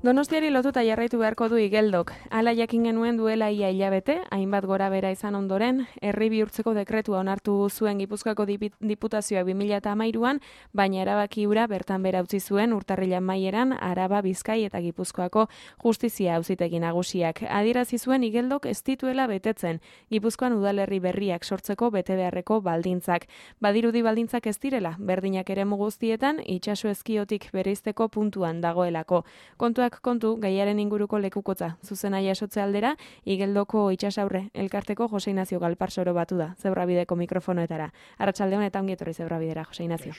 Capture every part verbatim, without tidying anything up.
Donostiari lotuta jarraitu beharko du Igeldok. Hala jakin genuen duela ia hilabete, hainbat gora bera izan ondoren, herri bihurtzeko dekretua onartu zuen Gipuzkoako Diputazioa bi mila hamairuan, baina erabaki hura bertan bera utzi zuen urtarrilan maieran Araba, Bizkai eta Gipuzkoako justizia auzitegi nagusiak. Adierazi zuen Igeldok ez dituela betetzen, Gipuzkoan udalerri berriak sortzeko bete beharreko baldintzak. Badirudi baldintzak ez direla, berdinak eremu guztietan, itsaso ezkiotik bereizteko puntuan dagoelako. Kontuak kontu, gaiaren inguruko lekukotza, zuzena jasotze aldera, Igeldoko itsasaurre elkarteko Jose Inazio Galparsoro batu da, Zebrabideko mikrofonoetara. Arratsaldeon eta ongi etorri Zebrabidera, Jose Inazio.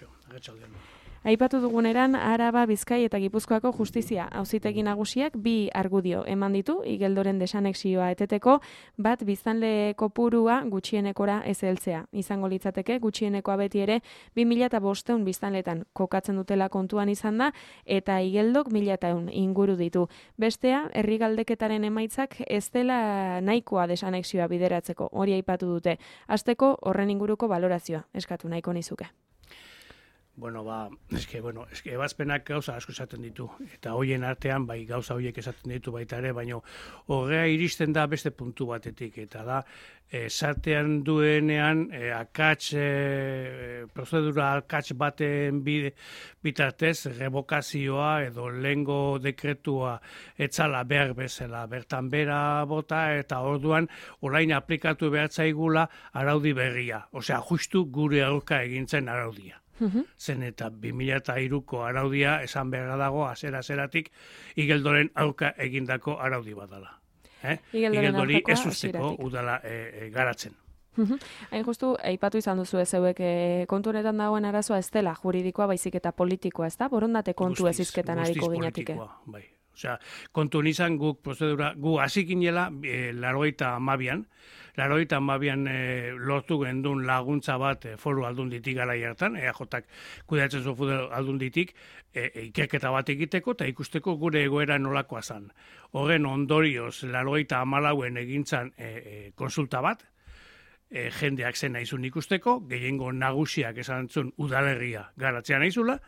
Aipatu duguneran, Araba, Bizkai eta Gipuzkoako justizia auzitegi nagusiak bi argudio eman ditu Igeldoren desanexioa eteteko, bat biztanle kopurua gutxienekora ez heltzea. Izango litzateke gutxienekoa beti ere bi mila bostehun biztanletan kokatzen dutela kontuan izan da, eta Igeldok mila ehun inguru ditu. Bestea, herri galdeketaren emaitzak ez dela nahikoa desanexioa bideratzeko, hori aipatu dute. Hasteko horren inguruko balorazioa eskatu nahiko nizuke. Bueno, ba, eske, bueno, eske, ebazpenak gauza asko esaten ditu, eta hoien artean, bai, gauza horiek esaten ditu baita ere, baina horrea iristen da beste puntu batetik, eta da, sartean duenean, e, akats, e, prozedura akats baten bide, bitartez, revokazioa edo lengo dekretua etzala behar bezala, bertan bera bota, eta orduan, orain aplikatu behar zaigula araudi berria, osea, justu gure aurka egintzen araudia. Zen eta bi mila hiruko araudia esan beharra dago azera-azeratik Igeldoren aurka egindako araudi badala. Eh? Igeldori ez usteko udala e, e, garatzen. Hain justu, aipatu izan duzu ez zeuek e, kontu honetan dagoen arazoa ez dela juridikoa baizik eta politikoa, ez da? Borondate kontu ez izketan hariko ginatike. Bai. Osea, kontu nizan guk prozedura, gu hasi ginela e, larogeita hamabian, larogeita hamabian e, lortu gendun laguntza bat e, foru aldunditik gara hartan, E A Jak kudeatzen zu foru aldunditik, e, e, ikerketa bat egiteko eta ikusteko gure egoera nolakoa zan. Horren ondorioz, larogeita hamalauen egintzan e, e, konsulta bat, e, jendeak zen naizun ikusteko, gehiengo nagusiak esan zuen udalerria garatzea naizula,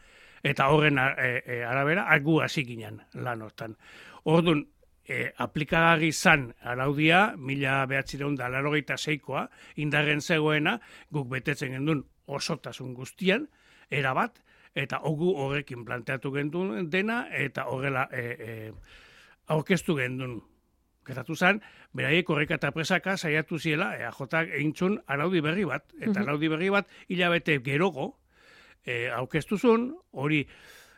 eta horren e, e, arabera, gu hasi ginen lan hortan. Orduan, e, aplikagarri zan araudia, mila behatzireun da larogeita seikoa, indarren zegoena, guk betetzen gendun osotasun guztian, erabat, eta ogu horrekin planteatu gendun dena, eta horrela e, e, aurkeztu gendun. Gertatu zen, beraiek horreka eta presaka saiatu ziela, E A Jak egintzun araudi berri bat, eta araudi berri bat hilabete gerogo, E, aurkeztuzun, hori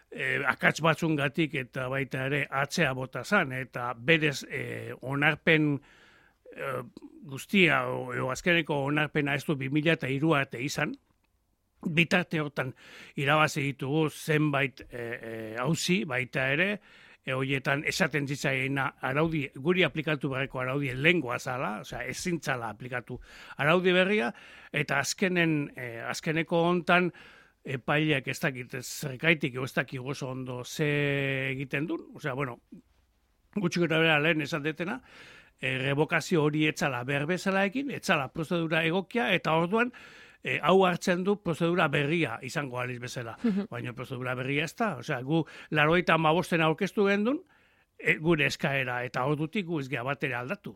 e, akats batzungatik eta baita ere atzea bota zan, eta berez e, onarpen e, guztia, o, o azkeneko onarpena ez du bi mila hiru arte izan, bitarte hortan irabazi ditugu zenbait e, e, auzi baita ere, e, horietan esaten zitzaiena araudi, guri aplikatu berreko araudi lengua zala, osea ezintzala aplikatu araudi berria, eta azkenen, e, azkeneko hontan, epaileak ez dakit zergaitik ez dakit oso ondo ze egiten duen, osea, bueno, gutxik eta bera lehen esan detena, e, revokazio hori etzala berbezala egin, etzala prozedura egokia, eta orduan, e, hau hartzen du prozedura berria izango aliz bezala, baina prozedura berria ez da, osea, gu larogeita hamabosten aurkeztu gendun, e, gure eskaera, eta ordutik gu ez geha batera aldatu.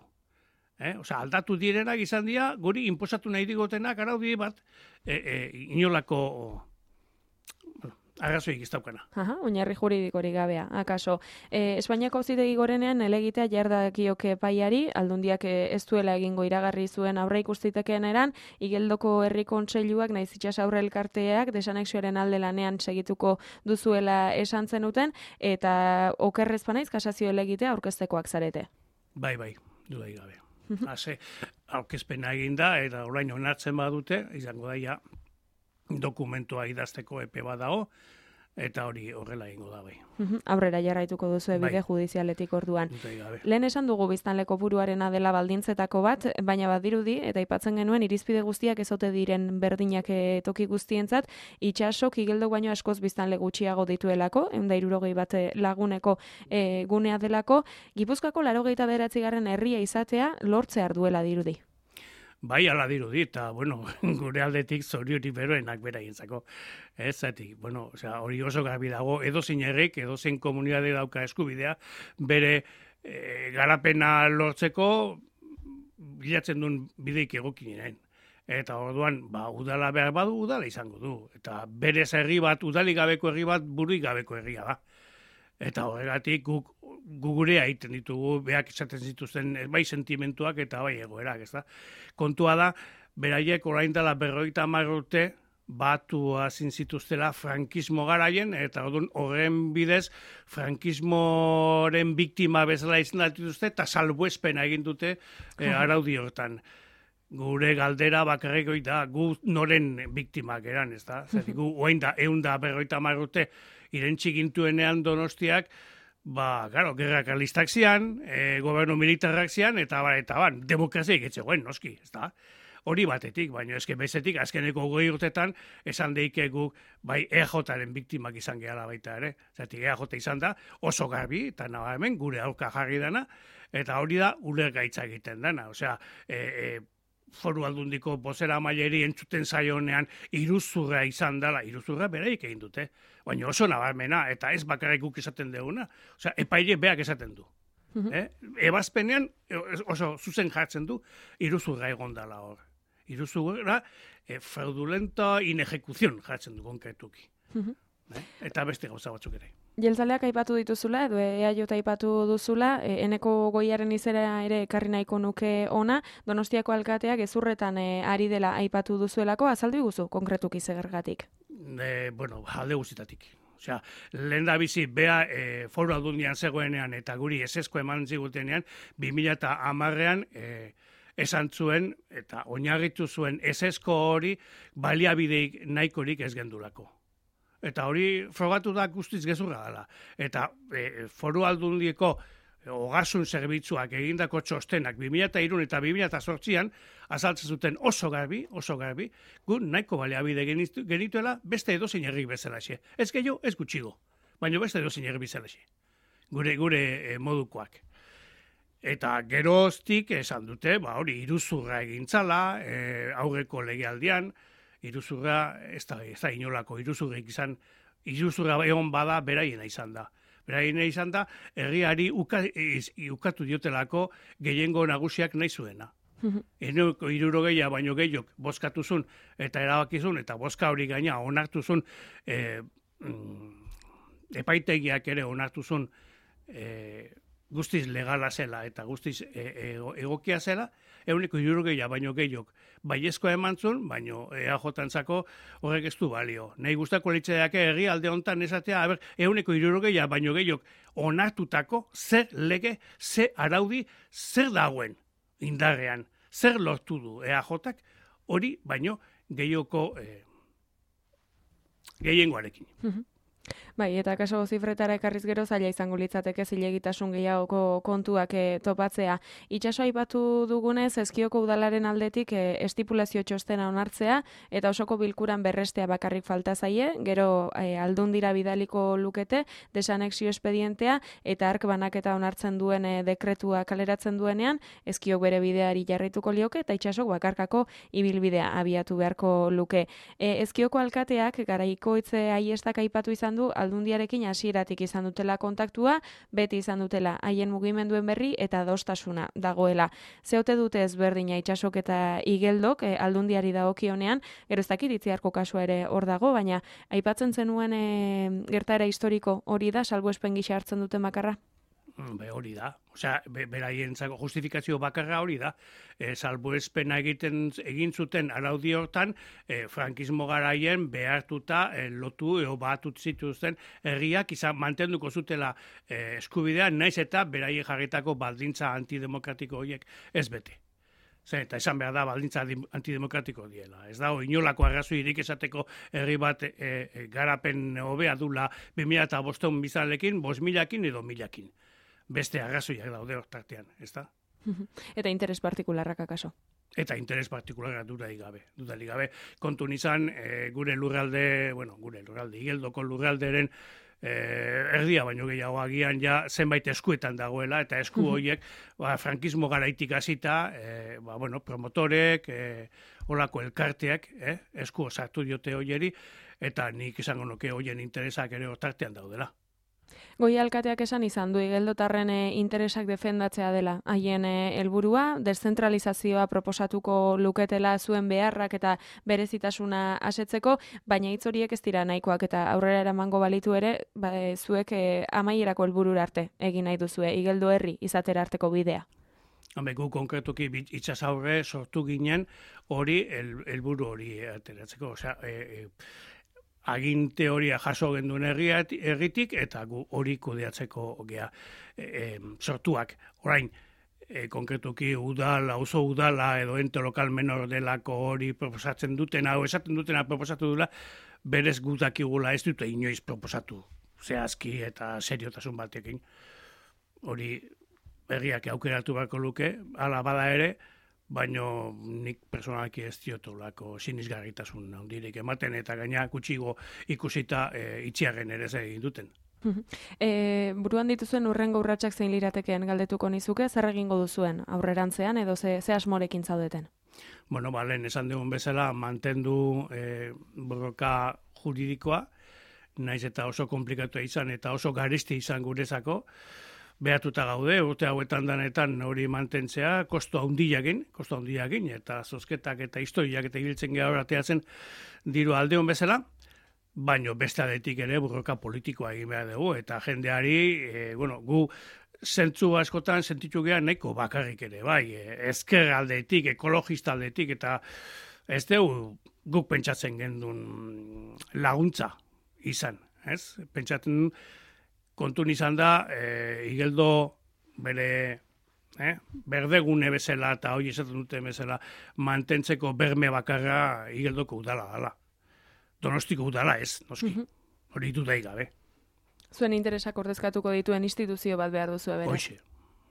Eh? Osea, aldatu direnak izan dira, guri inposatu nahi digotenak araudi bat, e, e, inolako arrazoik ez daukana. Aha, oinarri juridikorik gabea, akaso. E, Espainiako auzitegi gorenean elegitea jardakioke epaiari, aldundiak ez duela egingo iragarri zuen aurre ikustitekean eran, Igeldoko herri kontseiluak naiz itsas aurre elkarteak desanexioaren alde lanean segituko duzuela esan zenuten, eta okerrez banaiz kasazio elegitea aurkeztekoak zarete. Bai, bai, dudaik gabe. Hase, aurkezpena egin da, eta orain onartzen badute, izango daia dokumentua idazteko epe bat dago, eta hori horrela egingo da bai. Aurrera jarraituko duzu bide judizialetik orduan. Lehen esan dugu biztanle kopuruarena dela baldintzetako bat, baina badirudi, eta aipatzen genuen irizpide guztiak ezote diren berdinak toki guztientzat, itsasok Igeldok baino askoz biztanle gutxiago dituelako, ehun eta hirurogei bat laguneko e, gunea delako, Gipuzkoako laurogeita bederatzigarren herria izatea lortzea duela dirudi. bai ala dirudi, eta, bueno, gure aldetik zoriotik beroenak beraientzako. Ez, zati, bueno, osea, hori oso garbi dago, edo zein herrik, edo zein komunitate dauka eskubidea, bere e, garapena lortzeko, bilatzen duen bideik egokinen. Eta orduan, ba, udala behar badu, udala izango du. Eta berez herri bat, udalik gabeko herri bat, buruik gabeko herria da. Eta horregatik guk gugurea egiten ditugu, beak esaten zituzten bai sentimentuak eta bai egoerak, ez da. Kontua da, beraiek orain dela berrogeita hamar urte, batu hazin zituztela frankismo garaien, eta orduan horren bidez frankismoren biktima bezala izendatu dituzte, eta salbuespena egin dute eh, araudi hortan. Gure galdera bakarrik da, gu noren biktimak eran, ez da? Zertik, gu oain da, egun da berroita hamar urte, irentxik gintuenean Donostiak, ba, garo, gerra karlistak zian, e, gobernu militarrak zian, eta ba, eta ban, demokrazia egitzegoen, noski, ez da? Hori batetik, baina eske bezetik, azkeneko goi urtetan, esan deike guk, bai, E Jaren biktimak izan gehala baita ere. Zertik, E J izan da, oso garbi, eta nahi hemen, gure aurka jarri dana, eta hori da, ulergaitza egiten dana. Osea, e, e, Foru Aldundiko bozera maileri entzuten zaionean iruzurra izan dela, iruzurra beraik egin dute, baina oso nabarmena, eta ez bakarrik guk esaten duguna, osea, epaile beak esaten du. Uh-huh. eh? Ebazpenean oso zuzen jartzen du, iruzurra egon dela hor. Iruzurra, eh, fraudulenta inejecuzion jartzen du konkretuki. Uh-huh. eh? Eta beste gauza batzuk ere. Jeltzaleak aipatu dituzula, edo E A J aipatu duzula, e, eneko goiaren izera ere ekarri nahiko nuke ona, Donostiako alkateak gezurretan e, ari dela aipatu duzuelako, azaldu iguzu konkretuki zegergatik? E, bueno, alde guztitatik. Osea, lehen da bizi, bea e, Foru Aldundian zegoenean eta guri esesko eman zigutenean, bi mila hamarrean e, esan zuen eta oinarritu zuen esesko hori baliabideik nahikorik ez gendulako. Eta hori frogatu da guztiz gezurra dela. Eta e, Foru Aldundieko e, ogasun zerbitzuak egindako txostenak bi mila hiru eta bi mila zortzian azaltzen zuten oso garbi, oso garbi, gu nahiko baliabide genituela beste edozein herrik bezalaxe. Ez gehiago, ez gutxigo, baina beste edozein herrik bezalaxe. Gure, gure e, modukoak. Eta geroztik esan dute, ba hori iruzurra egintzala, e, aurreko legealdian, iruzurra, ez da, ez da inolako iruzurrik izan, iruzurra egon bada beraiena izan da. Beraiena izan da, herriari uka, iz, ukatu diotelako gehiengo nagusiak nahi zuena. Eneko hirurogeia baino gehiok bozkatuzun eta erabakizun, eta bozka hori gaina onartuzun, e, mm, epaitegiak ere onartuzun e, guztiz legala zela eta guztiz e, e, egokia zela, euneko hirurogeia baino gehiok baiezkoa emantzun, baino E A J-antzako horrek ez du balio. Nahi guztako litzeak herri alde hontan esatea, aber, euneko hirurogeia baino gehiok onartutako zer lege, zer araudi, zer dagoen indarrean, zer lortu du E A J-ak, hori baino gehioko e, gehiengoarekin. Bai, eta kaso zifretara ekarriz gero zaila izango litzateke zilegitasun gehiagoko kontuak e, topatzea. Itxaso aipatu dugunez, Ezkioko udalaren aldetik e, estipulazio txostena onartzea, eta osoko bilkuran berrestea bakarrik falta zaie, gero e, aldundira bidaliko lukete, desanexio espedientea, eta ark banaketa onartzen duen e, dekretua kaleratzen duenean, Ezkiok bere bideari jarrituko lioke, eta itxasok bakarkako ibilbidea abiatu beharko luke. E, Ezkioko alkateak garaiko itze aiestak aipatu izan du, aldundiarekin hasieratik izan dutela kontaktua, beti izan dutela haien mugimenduen berri eta adostasuna dagoela. Zeote dute ezberdina Itsasok eta Igeldok e, aldundiari dagokionean, gero ez dakit Itziarko kasua ere hor dago, baina aipatzen zenuen e, gertaera historiko hori da, salbuespen gisa hartzen duten bakarra? Be, hori da. Osea, be, beraientzako justifikazio bakarra hori da. E, salbuespena egiten egin zuten araudi hortan, e, frankismo garaien behartuta e, lotu eo batut zituzten herriak izan mantenduko zutela e, eskubidea, naiz eta beraien jarritako baldintza antidemokratiko horiek ez bete. Zer, eta esan behar da baldintza antidemokratiko diela. Ez dago inolako arrazoirik esateko herri bat e, e, garapen hobea dula bi mila bostehun bizalekin, bost milakin edo milakin. Beste arrazoiak daude hortartean, ez da? Eta interes partikularrak akaso? Eta interes partikularrak dudarik gabe. Dudarik gabe, kontu nizan, e, gure lurralde, bueno, gure lurralde, Igeldoko lurralderen erdia baino gehiago agian ja zenbait eskuetan dagoela, eta esku horiek ba, frankismo garaitik hasita, e, ba, bueno, promotorek, e, olako elkarteak, eh, esku sartu diote hoieri, eta nik izango nuke hoien interesak ere hortartean daudela. Goi alkateak esan izan du igeldotarren interesak defendatzea dela. Haien helburua deszentralizazioa proposatuko luketela zuen beharrak eta berezitasuna asetzeko, baina hitz horiek ez dira nahikoak eta aurrera eramango balitu ere, ba, zuek e, amaierako helburura arte egin nahi duzue igeldo herri izatera arteko bidea. Hame, gu konkretuki itsasaurre sortu ginen hori helburu hori ateratzeko, osea, e, e, aginte horia jaso genduen erritik eta gu hori kudeatzeko gea e, e, sortuak. Orain, e, konkretuki udala, auzo udala edo ente lokal menor delako hori proposatzen dutena, o esaten dutena proposatu dula, berez gutakigula ez dute inoiz proposatu zehazki eta seriotasun batekin. Hori herriak aukeratu beharko luke, hala bada ere, baino nik personalki ez diotolako sinisgarritasun handirik ematen eta gaina gutxigo ikusita e, itxiarren ere egin duten. E, buruan dituzuen urrengo urratsak zein liratekeen galdetuko nizuke, zer egingo duzuen aurrerantzean edo ze, ze asmorekin zaudeten? Bueno, ba, lehen esan dugun bezala mantendu e, borroka juridikoa, naiz eta oso komplikatu izan eta oso garesti izan gurezako, behatuta gaude, urte hauetan danetan hori mantentzea, kosto handiakin, kosto handiakin, eta zozketak eta historiak eta ibiltzen geha horateatzen diru aldeon bezala, baino beste aldetik ere borroka politikoa egin behar dugu, eta jendeari, e, bueno, gu zentzu askotan sentitu geha nahiko bakarrik ere, bai, ezker aldetik, ekologista aldetik, eta ez dugu guk pentsatzen gendun laguntza izan, ez? Pentsatzen kontun izan da, e, igeldo bere eh, berdegune bezala eta hori esaten dute bezala mantentzeko berme bakarra igeldoko udala dala. Donostiko udala ez, noski. Hori dudai gabe. Zuen interesak ordezkatuko dituen instituzio bat behar duzu ebere. Hoxe,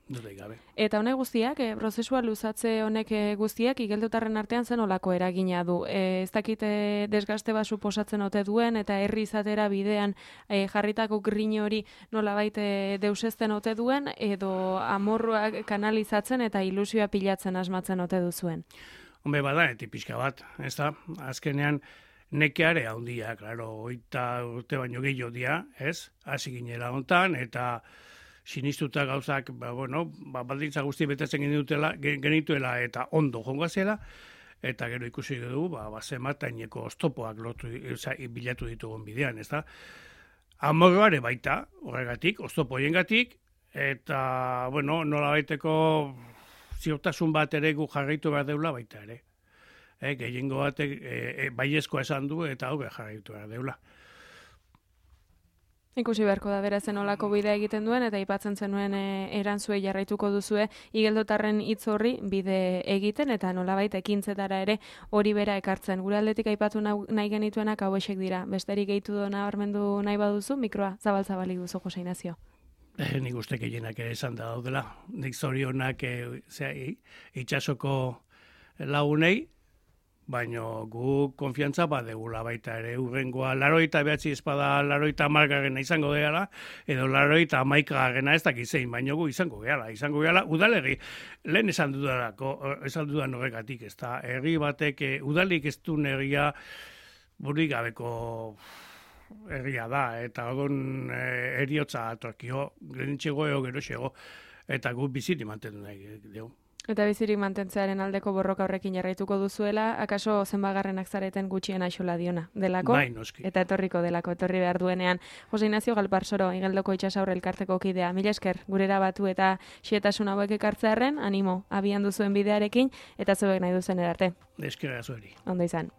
dudai gabe. Eta honek guztiak, e, prozesua luzatze honek e, guztiak igeldotarren artean zen olako eragina du. E, ez dakite desgaste bat suposatzen ote duen eta herri izatera bidean e, jarritako grin hori nolabait e, deusezten ote duen edo amorruak kanalizatzen eta ilusioa pilatzen asmatzen ote duzuen. Hombre, bada, eti pixka bat, ez da, azkenean nekeare handia, klaro, oita urte baino gehiago dia, ez, hasi ginela hontan, eta sinistuta gauzak, ba, bueno, ba, baldintza guzti betetzen genituela, genituela eta ondo jongoa zela, eta gero ikusi dugu, ba, bazemataineko oztopoak lotu, oza, bilatu ditugun bidean, ez da. Amorroare baita, horregatik, oztopoiengatik, eta, bueno, nola baiteko ziurtasun bat ere gu jarraitu behar deula baita ere. E, gehiengo batek e, e, baiezkoa esan du eta hau jarraitu behar deula. Ikusi beharko da berazen olako bidea egiten duen eta aipatzen zenuen e, erantzue jarraituko duzue igeldotarren hitz horri bide egiten eta nolabait ekintzetara ere hori bera ekartzen. Gure aldetik aipatu nahi genituenak hauexek dira. Besterik gehitu do nabarmendu nahi baduzu, mikroa zabal-zabalik duzu Jose Ignacio. Eh, nik uste gehienak ere esan da daudela. Nik zorionak e, itxasoko lagunei, baino gu konfiantza badegula baita ere urrengoa laroita behatzi espada laroita amargarrena izango gehala, edo laroita amaikagarrena ez dakizein, baino gu izango gehala, izango gehala, udalerri, lehen esan dudanako, esan dudan horregatik, ez da, herri batek, udalik ez du herria burik gabeko herria da, eta orduan heriotza atorkio, genitxego eo gero xego, eta gu biziti mantendu nahi dugu. Eta bizirik mantentzearen aldeko borroka horrekin jarraituko duzuela, akaso zenbagarrenak zareten gutxien aixola diona, delako? Bai, noski. Eta etorriko delako, etorri behar duenean. Jose Ignacio Galparsoro, Igeldoko itxasaurre elkarteko kidea. Mila esker, gurera batu eta xietasun hauek ekartzearen, animo, abian duzuen bidearekin, eta zuek nahi duzen erarte. Eskerra zueri. Ondo izan.